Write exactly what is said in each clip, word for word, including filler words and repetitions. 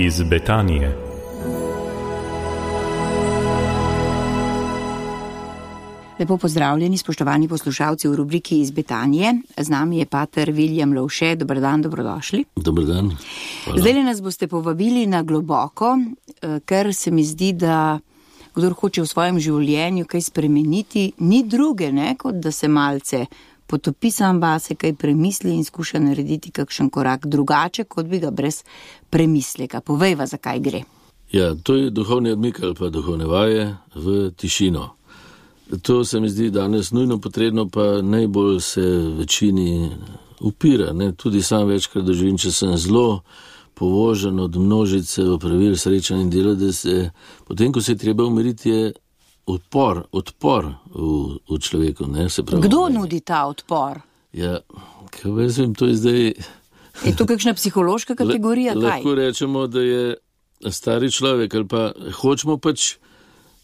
iz Betanije. Lepo pozdravljeni, spoštovani poslušalci v rubriki iz Betanije. Z nami je pater William Lovše. Dobar dan, dobrodošli. Dobar dan. Hvala. Zdaj nas boste povabili na globoko, ker se mi zdi, da kdor hoče v svojem življenju kaj spremeniti, ni druge, ne, kot da se malce potopi sam vase, kaj premisli in skuša narediti kakšen korak drugače, kot bi ga brez premisleka. Povejva, zakaj gre. Ja, to je duhovni odmik ali pa duhovne vaje v tišino. To se mi zdi danes nujno potrebno, pa najbolj se večini upira. Ne? Tudi sam večkrat doživim, če sem zelo povožen od množice opravil, srečanj in dela, da se potem, ko se je treba umiriti, je odpor, odpor v, v človeku. Ne? Se pravi, kdo ne? nudi ta odpor? Ja, kaj vem, to je zdaj... Je to kakšna psihološka kategorija? L- lahko kaj? rečemo, da je stari človek, ali pa hočemo pač...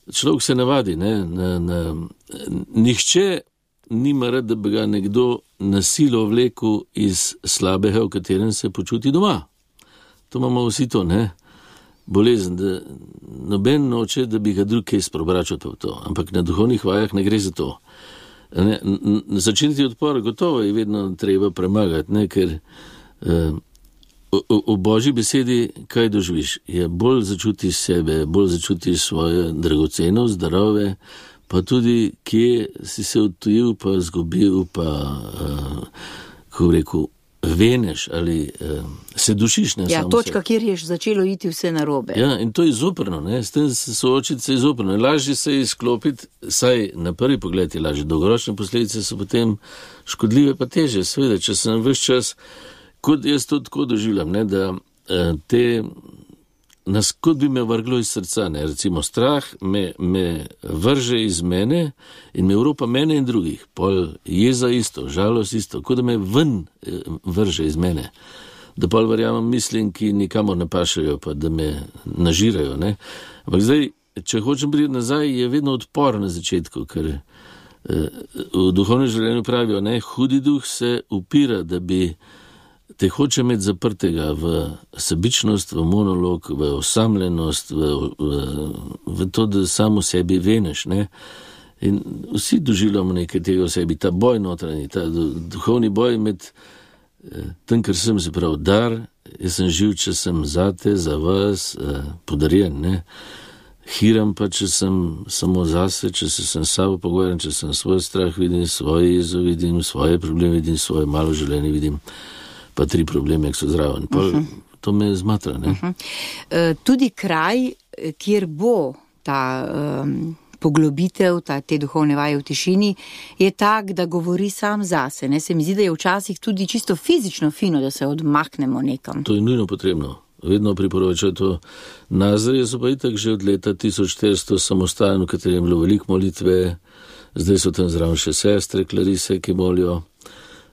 Človek se navadi, ne, na, na, nihče nima rad, da bi ga nekdo na silo vlekel iz slabega, v katerem se počuti doma. To imamo vsi to, ne, bolezen, da noben noče, da bi ga drug kaj sprobračal v to, ampak na duhovnih vajah ne gre za to. Ne, začiniti odpor gotovo je vedno treba premagati, ne, ker eh, v Božji besedi, kaj doživiš, je bolj začutiš sebe, bolj začutiš svoje dragoceno, zdrave, pa tudi kje si se odtujil, pa zgubil, pa, uh, kako rekel, veneš ali uh, se dušiš. Ne, ja, samo točka, se. Kjer je začelo iti vse narobe. Ja, in to je zoprno, ne, s tem se soočiti se je zoprno. Lažje se je izklopiti, saj na prvi pogled je lažje, dolgoročne posledice so potem škodljive, pa teže, seveda, če sem ves čas. Kot jaz to tako doživljam, ne, da te, nas kot bi me vrglo iz srca, ne, recimo strah me, me vrže iz mene in me Evropa mene in drugih, pol jeza isto, žalost isto, kot da me ven vrže iz mene, da pol verjamem mislim, ki nikamor ne pašajo, pa da me nažirajo, ne. Ampak zdaj, če hočem priti nazaj, je vedno odpor na začetku, ker v duhovnem življenju pravijo, ne, hudi duh se upira, da bi te hoče imeti zaprtega v sebičnost, v monolog, v osamljenost, v, v, v to, da samo sebi veneš, ne. In vsi doživljamo nekaj tega v sebi, ta boj notranji, ta duhovni boj med tem, kar sem, se pravi, dar, jaz sem živ, če sem zate, za vas, podarjen, ne. Hiram pa, če sem samo zase, če se sem sabo pogovarjam, če sem svoj strah vidim, svoje jezo vidim, svoje probleme vidim, svoje malo življenje vidim, pa tri probleme, ki so zraven. Pa uh-huh. To me zmatra, ne? Uh-huh. Uh, tudi kraj, kjer bo ta um, poglobitev, ta, te duhovne vaje v tišini, je tak, da govori sam zase. Ne? Se mi zdi, da je včasih tudi čisto fizično fino, da se odmaknemo nekam. To je nujno potrebno. Vedno priporočajo to. Nazarje so pa itak že od leta tisoč štiristo samostajen, v katerem je bilo veliko molitve, zdaj so tam zraven še sestre, klarise, ki molijo.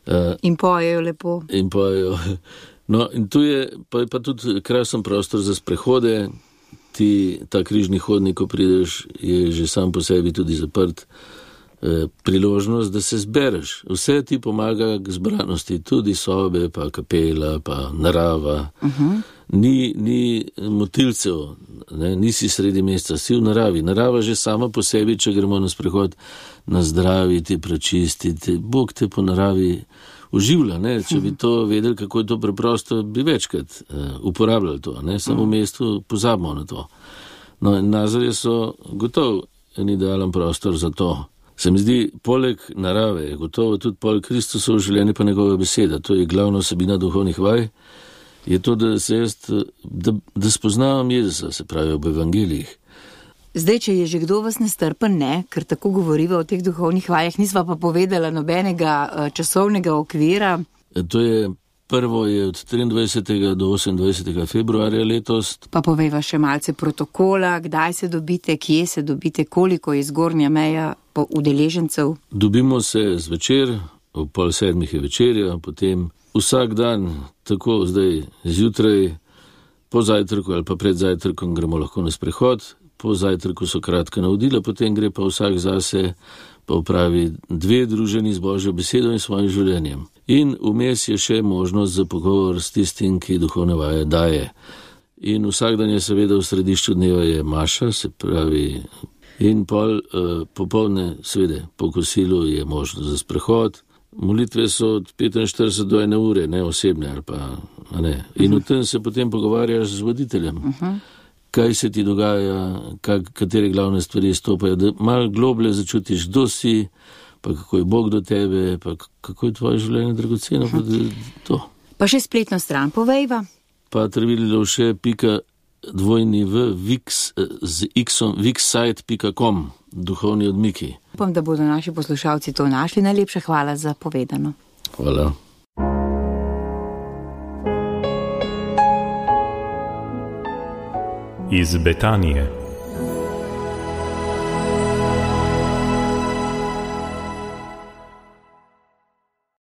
Uh, in pojejo lepo. In pojejo. No, in tu je pa, pa tudi krasen prostor za sprehode. Ti, ta križni hodnik, ko prideš, je že sam po sebi tudi zaprt. E, priložnost, da se zbereš. Vse ti pomaga k zbranosti, tudi sobe, pa kapela, pa narava. Uh-huh. Ni, ni motilcev, ne, nisi sredi mesta, si v naravi. Narava že sama po sebi, če gremo na sprehod, nazdraviti, prečistiti. Bog te po naravi uživlja, ne. Če bi to vedeli, kako je to preprosto, bi večkrat uh, uporabljali to, ne. Samo v mestu pozabimo na to. No, Nazarje so gotovo en idealen prostor za to. Se mi zdi, poleg narave je gotovo tudi poleg Kristusovo življenje pa njegova beseda. To je glavna vsebina duhovnih vaj. Je to, da se jaz, da, da spoznavam Jezusa, se pravi v evangelijih. Zdaj, če je že kdo vas nestrpen, ne, ker tako govoriva o teh duhovnih vajah, nisva pa povedala nobenega časovnega okvira. To je prvo je od triindvajsetega do osemindvajsetega februarja letos. Pa povejva še malce protokola, kdaj se dobite, kje se dobite, koliko je zgornja meja po udeležencev. Dobimo se zvečer, ob pol sedmih je večerja, potem vsak dan, tako zdaj zjutraj, po zajtrku ali pa pred zajtrkom gremo lahko na sprehod, po zajtrku so kratka navodila, potem gre pa vsak zase, pa upravi dve druženi z Božjo besedo in svojim življenjem. In vmes je še možnost za pogovor s tistim, ki duhovne vaje daje. in vsak dan je seveda v središču dneva je maša, se pravi, in pol uh, popoldne, seveda, po kosilu je možnost za sprehod. Molitve so od petinštirideset do ene ure, ne osebne ali pa, a ne. In uh -huh. v tem se potem pogovarjaš z voditeljem. Uh -huh. Kaj se ti dogaja, kak, katere glavne stvari stopajo, da malo globlje začutiš, kdo si, pa kako je Bog do tebe, pa kako je tvoje življenje dragoceno, pa to. Pa še spletno stran povejva. Pa travililevše pika dvojni v vix z xom vixsite pika com, duhovni odmiki. Upam, da bodo naši poslušalci to našli. Najlepša hvala za povedano. Hvala. Iz Betanije.